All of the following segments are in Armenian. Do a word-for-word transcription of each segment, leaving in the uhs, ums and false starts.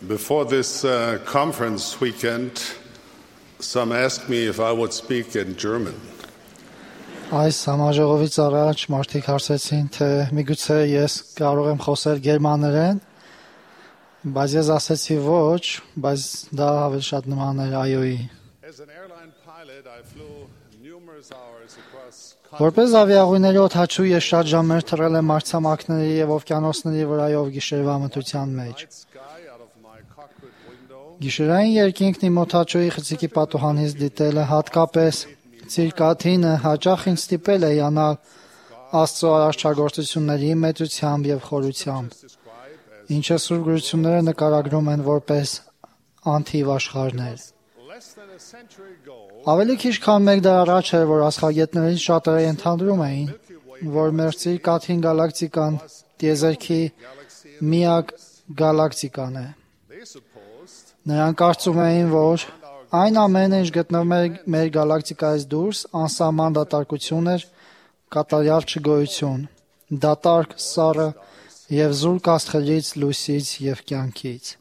Before this uh, conference weekend, some asked me if I would speak in German. Այս համաժողովից առաջ մարդիկ հարցեցին, թե միգուցե ես կարող եմ խոսել գերմաներեն, բայց ես ասեցի ոչ, բայց դա ավելի շատ նման էր այոյի։ Որպես ավիաուղիների օդաչու ես շատ ժամեր թռել եմ մայրցամաքների և օվկիանոսների վրայով գիշերվա մթության մեջ։ Գիշերային երկինքն իմ օդաչուի խցիկի պատուհանից դիտելը, հատկապես Ցիրկաթինը հաճախ ինձ ստիպել է հիանալ Աստծո արարչագործությունների մեծությամբ և խորությամբ, ինչը Սուրբ գրությունները նկարագրում են որպես անթիվ աշխարհներ։ Ավելի քիչ քան մեկ դար առաջ էր, որ աստղագետներից շատերը ենթադրում էին, որ մեր Ցիրկաթին գալակտիկան տիեզերքի միակ գալակտիկան է։ Նրանք կարծում էին, որ այն ամենը, ինչ գտնվում է մեր գալակտիկայից դուրս, անսահման դատարկություն էր, կատարյալ չգոյություն, դատարկ, սառը և զուրկ աստղերից, լույսից և կյանքից։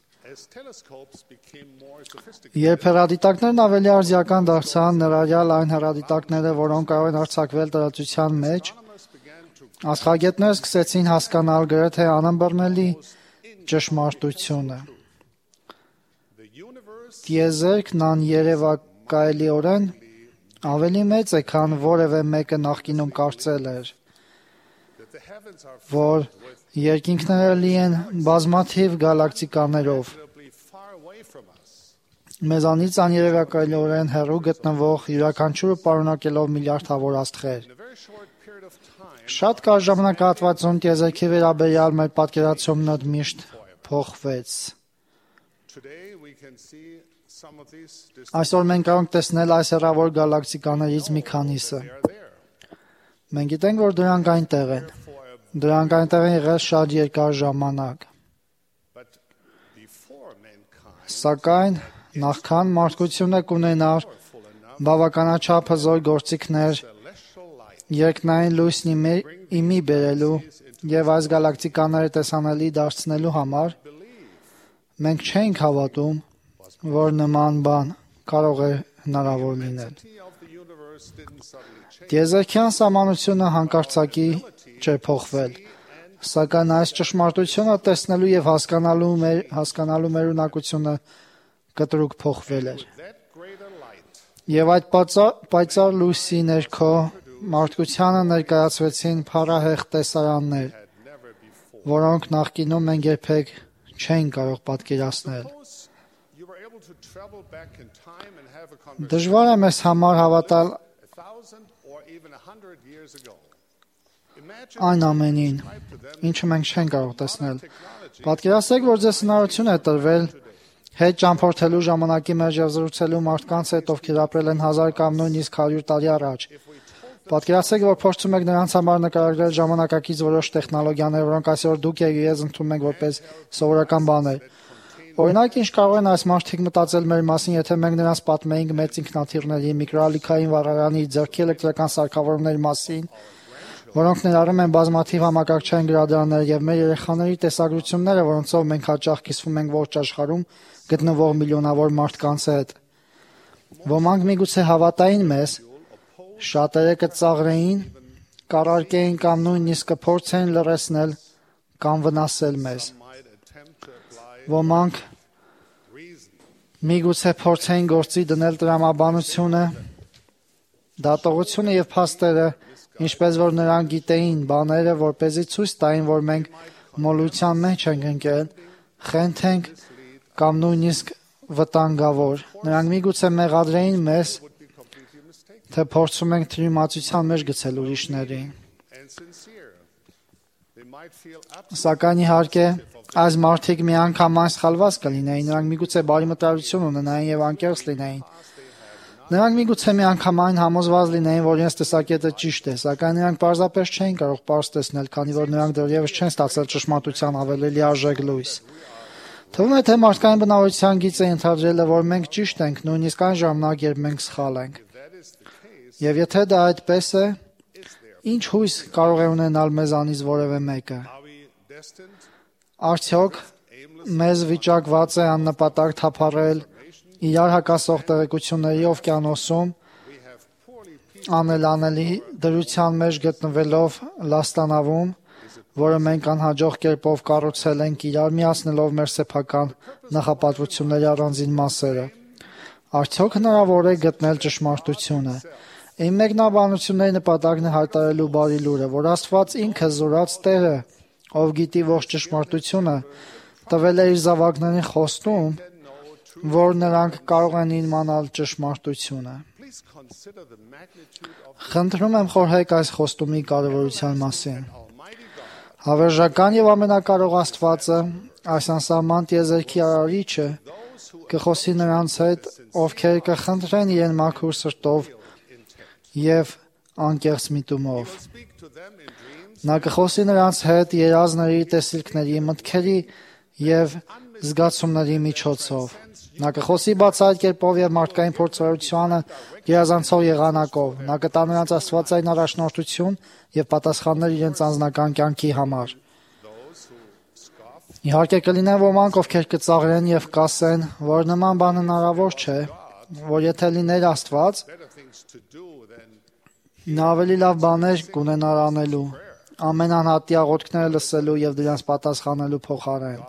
Երբ հեռադիտակներն ավելի արդիական դարձան, ներառյալ այն հեռադիտակները, որոնք կարող են արձակվել տարածության մեջ, աստղագետները սկսեցին հասկանալ գրեթե անըմբռնելի ճշմարտությունը։ Տիեզերքն աներևակայելիորեն ավելի մեծ է, քան որևէ մեկը նախկինում կարծել էր, որ երկինքները լի են բազմաթիվ գալակտիկաներով, մեզանից աներևակայելիորեն հեռու գտնվող յուրաքանչյուրը պարունակելով միլիարդավոր աստղեր։ Շատ կարճ ժամանակահատվածում տիեզերքի վերաբերյալ մեր պատկերացումն միշտ փոխվեց։ Այսօր մենք կարող ենք տեսնել այս հեռավոր գալակտիկաներից մի քանիսը։ Մենք գիտենք, որ դրանք այնտեղ են։ Դրանք այնտեղ են եղել շատ երկար ժամանակ։ Սակայն նախքան մարդկությունը կունենար բավականաչափ հզոր գործիքներ երկնային լույսն իմի բերելու և այս գալակտիկաները տեսանելի դարձնելու համար, մենք չենք հավատում, որ նման բան կարող է հնարավոր լինել։ Տիեզերքյան սահմանությունը հանկարծակի չէ փոխվել, սակայն այս ճշմարտությունը տեսնելու և հասկանալու մեր, հասկանալու մեր ունակությունը կտրուկ փոխվել էր։ Եվ այդ պայծառ, պայծառ լույսի ներքո մարդկությանը ներկայացվեցին փառահեղ տեսարաններ, որոնք նախկինում մենք երբեք չենք կարող պատկերացնել։ Դժվար է մեզ համար հավատալ այն ամենին, ինչը մենք չենք կարող տեսնել։ Պատկերացրեք, որ ձեզ հնարավորություն է տրվել հետ ճամփորդելու ժամանակի մեջ և զրուցելու մարդկանց հետ, ովքեր ապրել են հազար կամ նույնիսկ հարյուր տարի առաջ։ Պատկերացրեք, որ փորձում եք նրանց համար նկարագրել ժամանակակից որոշ տեխնոլոգիաներ, որոնք այսօր դուք և ես ընդունում ենք որպես սովորական բաներ։ Օրինակ, ինչ կարող են այս մարդիկ մտածել մեր մասին, եթե մենք նրանց պատմեինք մեծ ինքնաթիռների, միկրոալիքային վառարանի, ձեռքի էլեկտրական սարքավորումների մասին, որոնք ներառում են բազմաթիվ համակարգչային գրադարաններ և մեր երեխաների տեսագրությունները, որոնցով մենք հաճախ կիսվում ենք ողջ աշխարհում գտնվող միլիոնավոր մարդկանց հետ։ Ոմանք միգուցե հավատային մեզ, շատերը կծաղրեին, կառարկեին կամ նույնիսկ կփորձեին լռեցնել կամ վնասել մեզ։ Ոմանք միգուցե փորձեին գործի դնել տրամաբանությունը, դատողությունը և փաստերը, ինչպես որ նրանք գիտեին բաները, որպեսզի ցույց տային, որ մենք մոլության մեջ ենք ընկել, խենթ ենք կամ նույնիսկ վտանգավոր։ Նրանք միգուցե մեղադրեին մեզ, թե փորձում ենք թյուրիմացության մեջ գցել ուրիշներին։ Սակայն իհարկե, այս մարդիկ միանգամայն սխալված կլինեին, նրանք միգուցե բարի մտադրություն ունենային և անկեղծ լինեին։ Նրանք միգուցե միանգամայն համոզված լինեին, որ իրենց տեսակետը ճիշտ է, սակայն նրանք պարզապես չէին կարող պարզ տեսնել, քանի որ նրանք դեռևս չեն ստացել ճշմարտության ավելի լիարժեք լույս։ Թվում է, թե մարդկային բնավորության գիծը ենթադրել է, որ մենք ճիշտ ենք, նույնիսկ այն ժամանակ, երբ մենք սխալ ենք։ Եվ եթե դա այդպես է, ինչ հույս կարող է ունենալ մեզանից որևէ մեկը։ Արդյոք մեզ վիճակված է աննպատակ թափառել իրար հակասող տեղեկությունների օվկիանոսում, անելանելի դրության մեջ գտնվելով լաստանավում, որը մենք անհաջող կերպով կառուցել ենք իրար միացնելով մեր սեփական նախապատվությունների առանձին մասերը։ Արդյոք հնարավոր է գտնել ճշմարտությունը։ Իմ մեկնաբանությունների նպատակն է հայտարարելու բարի լուրը, որ Աստված ինքը զորած Տերը, ով գիտի ողջ ճշմարտությունը, տվել է իր զավակներին խոստում, որ նրանք կարող են իմանալ ճշմարտությունը։ Խնդրում եմ խորհեք այս խոստումի կարևորության մասին։ Հավերժական եւ ամենակարող Աստվածը, այս անսահման տիեզերքի արարիչը, կխոսի նրանց հետ, ովքեր կխնդրեն իրեն մաքուր սրտով եւ անկեղծ միտումով։ Նա կխոսի նրանց հետ երազների, տեսիլքների, մտքերի եւ զգացումների միջոցով։ Նա կխոսի բացահայտ կերպով եւ մարդկային փորձառությանը գերազանցող եղանակով։ Նա կտա նրանց աստվածային առաջնորդություն եւ պատասխաններ իրենց անձնական կյանքի համար։ Իհարկե կլինեն ոմանք, ովքեր կծաղրեն եւ կասեն, որ նման բան հնարավոր չէ, որ եթե լիներ Աստված, նա ավելի լավ բաներ կունենար անելու, ամեն անհատի աղոթքները լսելու եւ դրանց պատասխանելու փոխարեն։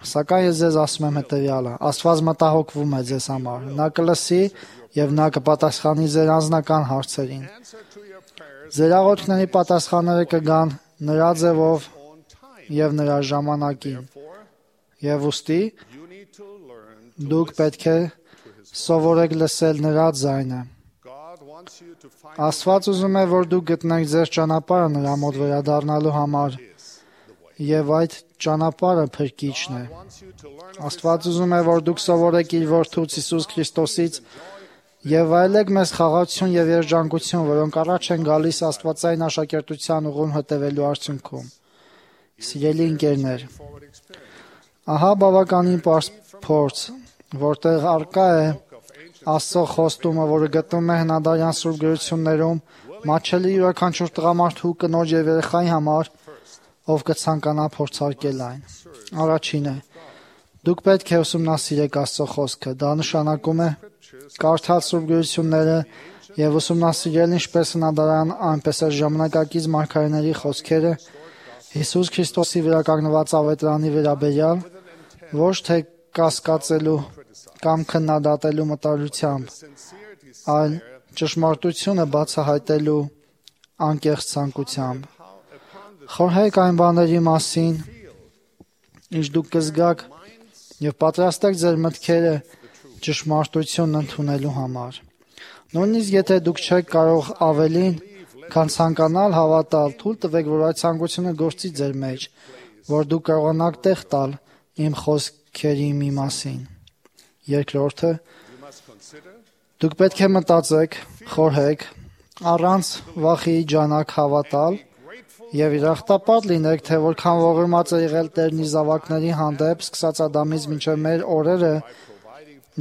Սակայն ես ձեզ ասում եմ հետևյալը. Աստված մտահոգվում է ձեզ համար։ Նա կլսի եւ նա կպատասխանի ձեր անձնական հարցերին։ Ձեր աղոթքների պատասխանները կգան նրա ձևով եւ նրա ժամանակին։ Եվ ուստի դուք պետք է սովորեք լսել նրա ձայնը։ Աստված ուզում է, որ դուք գտնեք ձեր ճանապարհը նրա մոտ վերադառնալու համար, եւ այդ ճանապարհը փրկիչն է։ Աստված ուզում է, որ դուք սովորեք իր որդուց Հիսուս Քրիստոսից եւ այլեք մեծ խաղաղություն եւ երջանկություն, որոնք առաջ են գալիս Աստվածային աշակերտության ուղուն հետևելու արդյունքում։ Սիրելի ընկերներ, ահա բավականին պարզ փորձ, որտեղ արկա է Աստծո խոստումը, որը գտնվում է հնադարյան սուրբ գրություններում, մատչելի յուրաքանչյուր տղամարդու, կնոջ եւ երեխայի համար, ով կցանկանա փորձարկել այն։ Առաջինը, դուք պետք է ուսումնասիրեք Աստծո խոսքը։ Դա նշանակում է կարդալ սուրբ գրությունները եւ ուսումնասիրել ինչպես հնադարյան, այնպես էլ ժամանակակից մարգարեների խոսքերը Հիսուս Քրիստոսի վրա կանգնված ավետարանի վերաբերյալ, ոչ թե կասկածելու կամ քննադատելու մտադրությամբ, այլ ճշմարտությունը բացահայտելու անկեղծ ցանկությամբ։ Խորհեք այն բաների մասին, ինչ դուք կզգաք եւ պատրաստեք ձեր մտքերը ճշմարտությունն ընդունելու համար։ Նույնիսկ եթե դուք չեք կարող ավելին, քան ցանկանալ հավատալ, թույլ տվեք, որ այդ ցանկությունը գործի ձեր մեջ, որ դուք կարողանաք տեղ տալ իմ խոսքերի մի մասին։ Երկրորդը, դուք պետք է մտածեք, խորհեք, առանց վախի ջանակ հավատալ եւ իրախտապատ լինեք, թե որքան ողորմած է եղել Տերն իր զավակների հանդեպ, սկսած Ադամից մինչև մեր օրերը,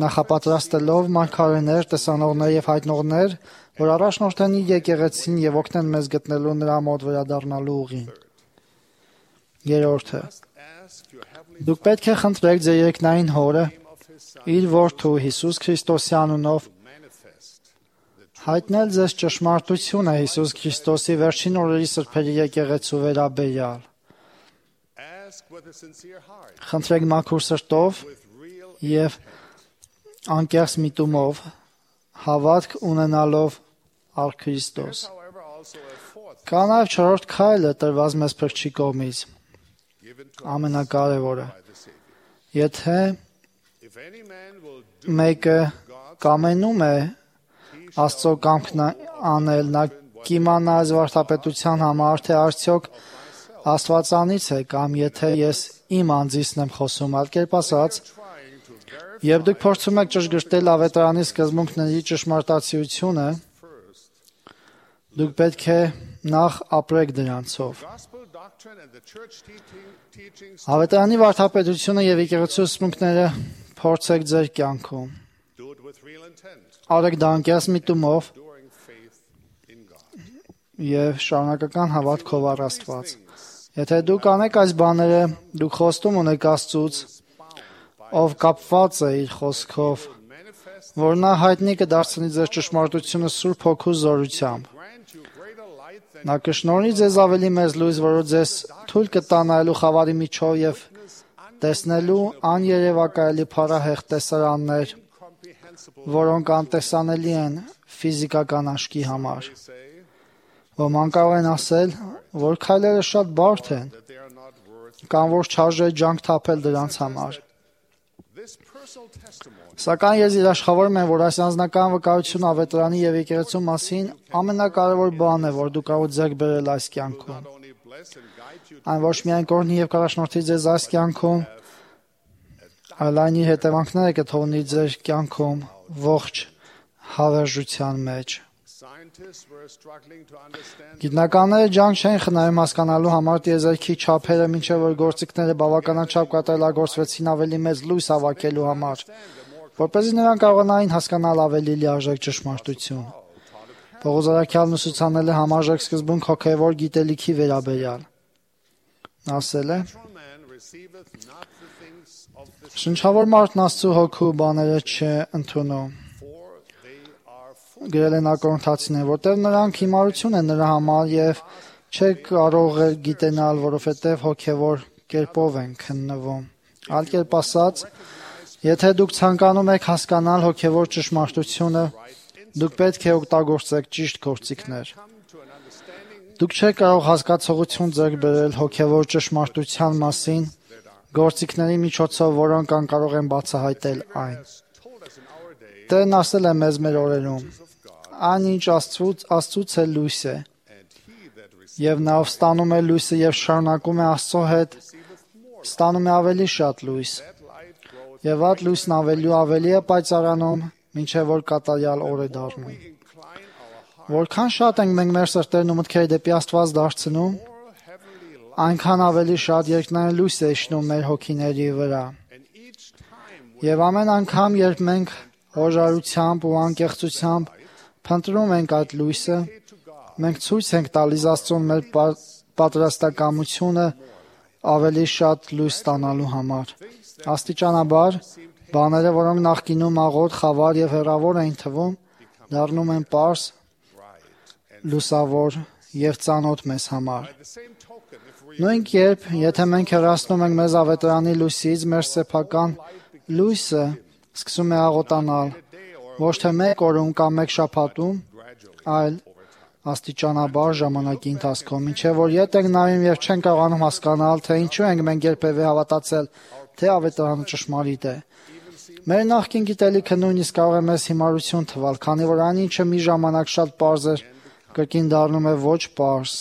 նախապատրաստելով մարգարեներ, տեսանողներ եւ հայտնողներ, որ առաջնորդեն իր եկեղեցին եւ օգնեն մեզ գտնելու նրա մոտ վերադառնալու ուղին։ Երրորդը, դուք պետք է խնդրեք ձեր երկնային Հորը, իր որդու Հիսուս Քրիստոսի անունով, հայտնել ձեզ ճշմարտությունը Հիսուս Քրիստոսի վերջին օրերի սրբերի եկեղեցու վերաբերյալ։ Խնդրեք մաքուր սրտով եւ անկեղծ միտումով, հավատք ունենալով առ Քրիստոս։ Կա նաև չորրորդ քայլը տրված մեզ Փրկչի կողմից, ամենակարևորը։ Եթե մեկը կամենում է Աստծո կամքն անել, նա կիմանա այս վարդապետության համար, թե արդյոք Աստվածանից է, կամ եթե ես իմ անձիսն եմ խոսում, այլ կերպ ասած, եւ դուք փորձում եք ճշգրտել ավետարանի սկզբունքների ճշմարտացիությունը, դուք պետք է նախ ապրեք դրանցով։ Ավետարանի վարդապետությունը եւ եկեղեցու սկզբունքները փորձեք ձեր կյանքում։ Արեք դա անկեղծ միտումով եւ շարունակական հավատքով առ Աստված։ Եթե դուք անեք այս բաները, դուք խոստում ունեք Աստծուց, ով կապված է իր խոսքով, որ նա հայտնի կդարձնի ձեր ճշմարտությունը Սուրբ Հոգու զորությամբ։ Նա կշնորհի ձեզ ավելի մեծ լույս, որը ձեզ թույլ կտա նայելու խավարի միջով եւ տեսնելու աներևակայելի փառահեղ տեսարաններ, որոնք անտեսանելի են ֆիզիկական աչքի համար։ Ոմանք կարող են ասել, որ քայլերը շատ բարդ են, կամ որ չարժե ջանք թափել դրանց համար։ Սակայն ես երաշխավորում եմ, որ այս անձնական վկայությունը ավետարանի եւ եկեղեցու մասին ամենակարևոր բանն է, որ դու կարող ես ձեռք բերել այս կյանքում։ Այն ոչ միայն կօրհնի եւ կառաջնորդի ձեզ այս կյանքում, այլ այն իր հետևանքները կթողնի ձեր կյանքում ողջ հավերժության մեջ։ Գիտնականները ջանք չեն խնայում հասկանալու համար տիեզերքի չափերը, մինչև որ գործիքները բավականին չափ կատարելագործվեցին ավելի մեծ լույս հավաքելու համար, որպեսզի նրանք կարողանային հասկանալ ավելի լիարժեք ճշմարտություն։ Պողոս առաքյալն ուսուցանել է համարժեք սկզբունք հոգևոր գիտելիքի վերաբերյալ։ Նա ասել է. «Շնչավոր մարդն Աստծու հոգու բաները չընդունում»։ Գրել են Կորինթացիներին, որտեղ նրանք հիմարություն են նրա համար եւ չեք կարող գիտենալ, որովհետեւ հոգեվոր կերպով են քննվում։ Այլ կերպ ասած, եթե դուք ցանկանում եք հասկանալ հոգեվոր ճշմարտությունը, դուք պետք է օգտագործեք ճիշտ գործիքներ։ Դուք չեք կարող հասկացողություն ձեռք բերել հոգեվոր ճշմարտության մասին գործիքների միջոցով, որոնք անկարող են բացահայտել այն։ Տերն ասել է մեզ մեր օրերում. «Այն ինչ Աստծուց, Աստծուց է լույս է, եւ նա ով ստանում է լույսը եւ շարունակում է Աստծո հետ, ստանում է ավելի շատ լույս, եւ այդ լույսն ավելի ու ավելի է պայծառանում, մինչեւ որ կատարյալ օր է դառնում»։ Որքան շատ ենք մենք մեր սրտերն ու մտքերը դեպի Աստված դարձնում, այնքան ավելի շատ երկնային լույս է իջնում մեր հոգիների վրա։ Եվ ամեն անգամ, երբ մենք հոժարությամբ ու անկեղծությամբ փնտրում ենք այդ լույսը, մենք ցույց ենք տալիս Աստծուն մեր պատրաստակամությունը ավելի շատ լույս ստանալու համար։ Աստիճանաբար, բաները, որոնք նախկինում աղոտ, խավար եւ հեռավոր էին թվում, դառնում են պարզ, լուսավոր եւ ծանոթ մեզ համար։ Նույն կերպ, եթե մենք հեռացնում ենք մեզ ավետարանի լույսից, մեր սեփական լույսը սկսում է աղոտանալ, ոչ թե մեկ օրում կամ մեկ շաբաթում, այլ աստիճանաբար ժամանակի ընթացքում, մինչև որ ետ ենք նայում եւ չենք կարողանում հասկանալ, թե ինչու ենք մենք երբևէ հավատացել, թե ավետարանը ճշմարիտ է։ Մեր նախկին գիտելիքը նույնիսկ կարող է մեզ հիմարություն թվալ, քանի որ այն ինչը մի ժամանակ շատ պարզ էր, կրկին դառնում է ոչ պարզ,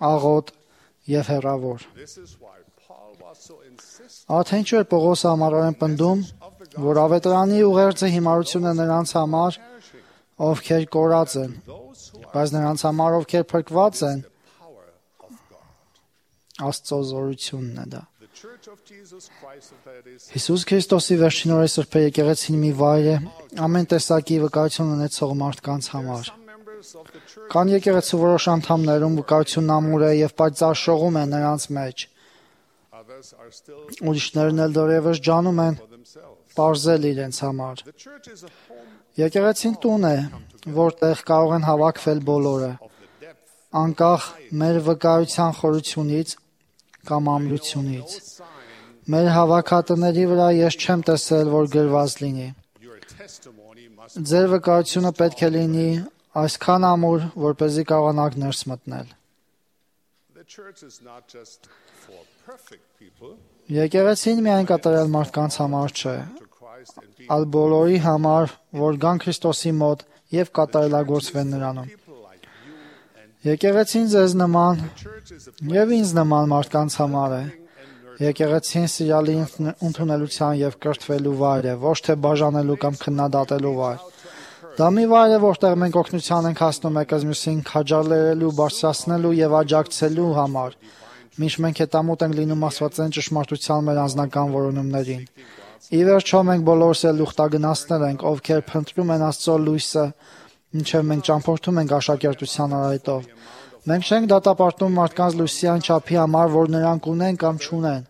աղոտ եւ հեռավոր։ Ահա ինչու է Պողոսը համառորեն պնդում, որ ավետարանի ուղերձը հիմարություն է նրանց համար, ովքեր կորած են, բայց նրանց համար, ովքեր փրկված են, Աստծո զորությունն է դա։ Հիսուս Քրիստոսի վերջին օրերի սրբե եկեղեցին մի վայր է ամեն տեսակի վկայություն ունեցող մարդկանց համար։ Կան եկեղեցու որոշ անդամներում վկայությունն ամուր է եւ պայծառ շողում է նրանց մեջ։ Ուրիշներն էլ դեռևս ջանում են պարզել իրենց համար։ Եկեղեցին տուն է, որտեղ կարող են հավաքվել բոլորը, անկախ մեր վկայության խորությունից կամ ամրությունից։ Մեր հավաքատների վրա ես չեմ տեսել, որ գրված լինի. Ձեր վկայությունը պետք է լինի այսքան ամուր, որպեսզի կարողանաք ներս մտնել։ Եկեղեցին միայն կատարյալ մարդկանց համար չէ, այլ բոլորի համար, որ գան Քրիստոսի մոտ եւ կատարելագործվեն նրանում։ Եկեղեցին ձեզ նման եւ ինձ նման մարդկանց համար է։ Եկեղեցին սիրալի ընդունելության եւ կրթվելու վայր է, ոչ թե բաժանելու կամ քննադատելու վայր։ Դա մի վայր է, որտեղ մենք օգնության ենք հասնում եկեղեցին քաջալերելու, բարձրացնելու եւ աջակցելու համար, մինչ մենք հետամուտ ենք լինում աստվածային ճշմարտության մեր անձնական որոնումներին։ Ի վերջո մենք բոլորս էլ ուխտագնացներ ենք, ովքեր փնտրում են Աստծո լույսը, ինչև մենք ճամփորդում ենք աշակերտության արայտով։ Մենք չենք դատապարտում մարդկանց լույսի այն չափի համար, որ նրանք ունեն կամ չունեն,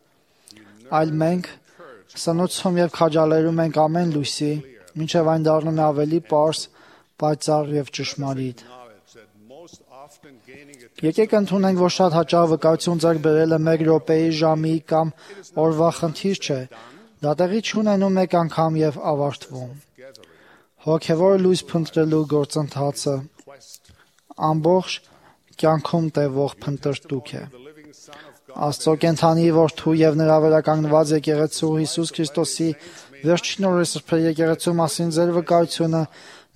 այլ մենք սնուցում եւ քաջալերում ենք ամեն լույսի, մինչեւ այն դառնում է ավելի պարզ, պայծառ եւ ճշմարիտ։ Եկեք ընդունենք, որ շատ հաճախ վկայություն ձեռք բերելը մեկ րոպեի, ժամի կամ օրվա խնդիր չէ, դա տեղի չունենում մեկ անգամ եւ ավարտվում։ Հոգեվոր լույս փնտրելու գործընթացը ամբողջ կյանքում տևող փնտրտուք է։ Աստծո կենթանի որդու եւ նրա վերականգնված եկեղեցու Հիսուս Քրիստոսի վերջին օրերի սրբերի եկեղեցու մասին ձեր վկայությունը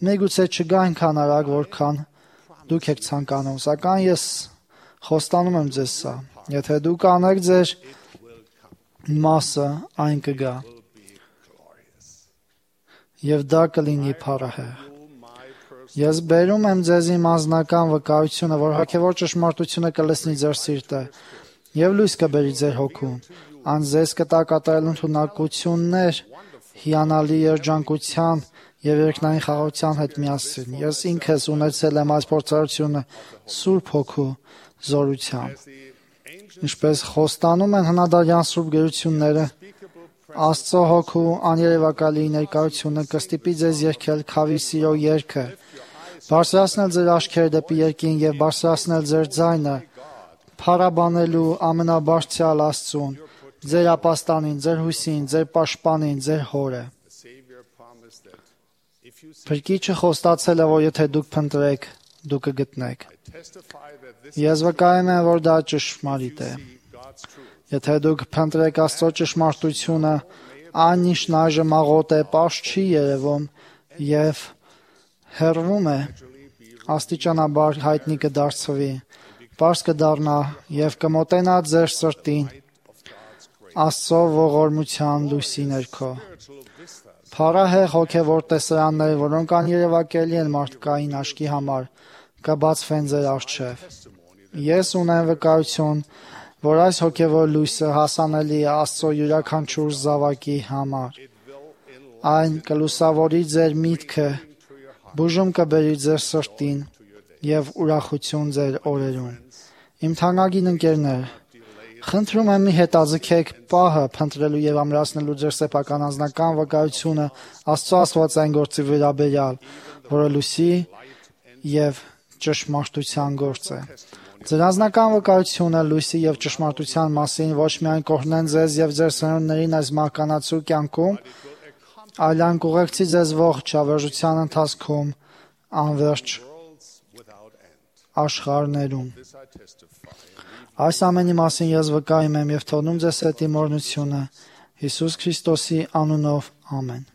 միգուցե չգա այնքան արագ, որքան դուք եք ցանկանում, սակայն ես խոստանում եմ ձեզ սա. եթե դուք անեք ձեր մասը, այն կգա։ Եվ դա կլինի փառահեղ։ Ես բերում եմ ձեզ իմ անձնական վկայությունը, որ հոգևոր ճշմարտությունը կլցնի ձեր սիրտը եւ լույս կբերի ձեր հոգում։ Այն ձեզ կտա կատարել ընդունակություններ հիանալի երջանկության եւ երկնային խաղաղության հետ միասին։ Ես ինքս ունեցել եմ այս փորձառությունը Սուրբ Հոգու զորությամբ։ Ինչպես խոստանում են հնադարյան սուրբ գրությունները, Աստծո Հոգու աներևակալի ներկայությունը կստիպի ձեզ երգել քավի սիրո երգը, բարձրացնել ձեր աչքերը դեպի երկին եւ բարձրացնել ձեր ձայնը, փառաբանելու ամենաբարձրյալ Աստծուն, ձեր ապաստանին, ձեր հույսին, ձեր պաշտպանին, ձեր հորը։ Փրկիչը խոստացել է, որ եթե դուք փնտրեք, դուք կգտնեք։ Ես վկայում եմ, որ դա ճշմարիտ է։ Եթե դուք փնտրեք Աստծո ճշմարտությունը, այն ինչն այժմ աղոտ է, պարզ չի երևում եւ հեռվում է, աստիճանաբար հայտնի կդարձվի, պարզ կդառնա եւ կմոտենա ձեր սրտին Աստծո ողորմության լույսի ներքո։ Փառահեղ հոգևոր տեսարաններ, որոնք աներևակելի են մարդկային աչքի համար, կբացվեն ձեր առջև։ Ես ունեմ վկայություն, որ այս հոգևոր լույսը հասանելի է Աստծո յուրաքանչյուր զավակի համար։ Այն կլուսավորի ձեր միտքը, բուժում կբերի ձեր սրտին եւ ուրախություն ձեր օրերում։ Իմ թանկագին ընկերներ, խնդրում եմ մի հետաձգեք պահը փնտրելու եւ ամրացնելու ձեր սեփական անձնական վկայությունը Աստծո աստվածային գործի վերաբերյալ, որը լույսի եւ ճշմարտության գործ է։ Ձեր անձնական վկայությունը լույսի եւ ճշմարտության մասին ոչ միայն կօգնեն ձեզ եւ ձեր սերունդներին այս մահկանացու կյանքում, այլ այն կուղեկցի ձեզ ողջ հավերժության ընթացքում անվերջ աշխարհներում։ Այս ամենի մասին ես վկայում եմ եւ թողնում ձեզ հետ իմ օրհնությունը Հիսուս Քրիստոսի անունով, ամեն։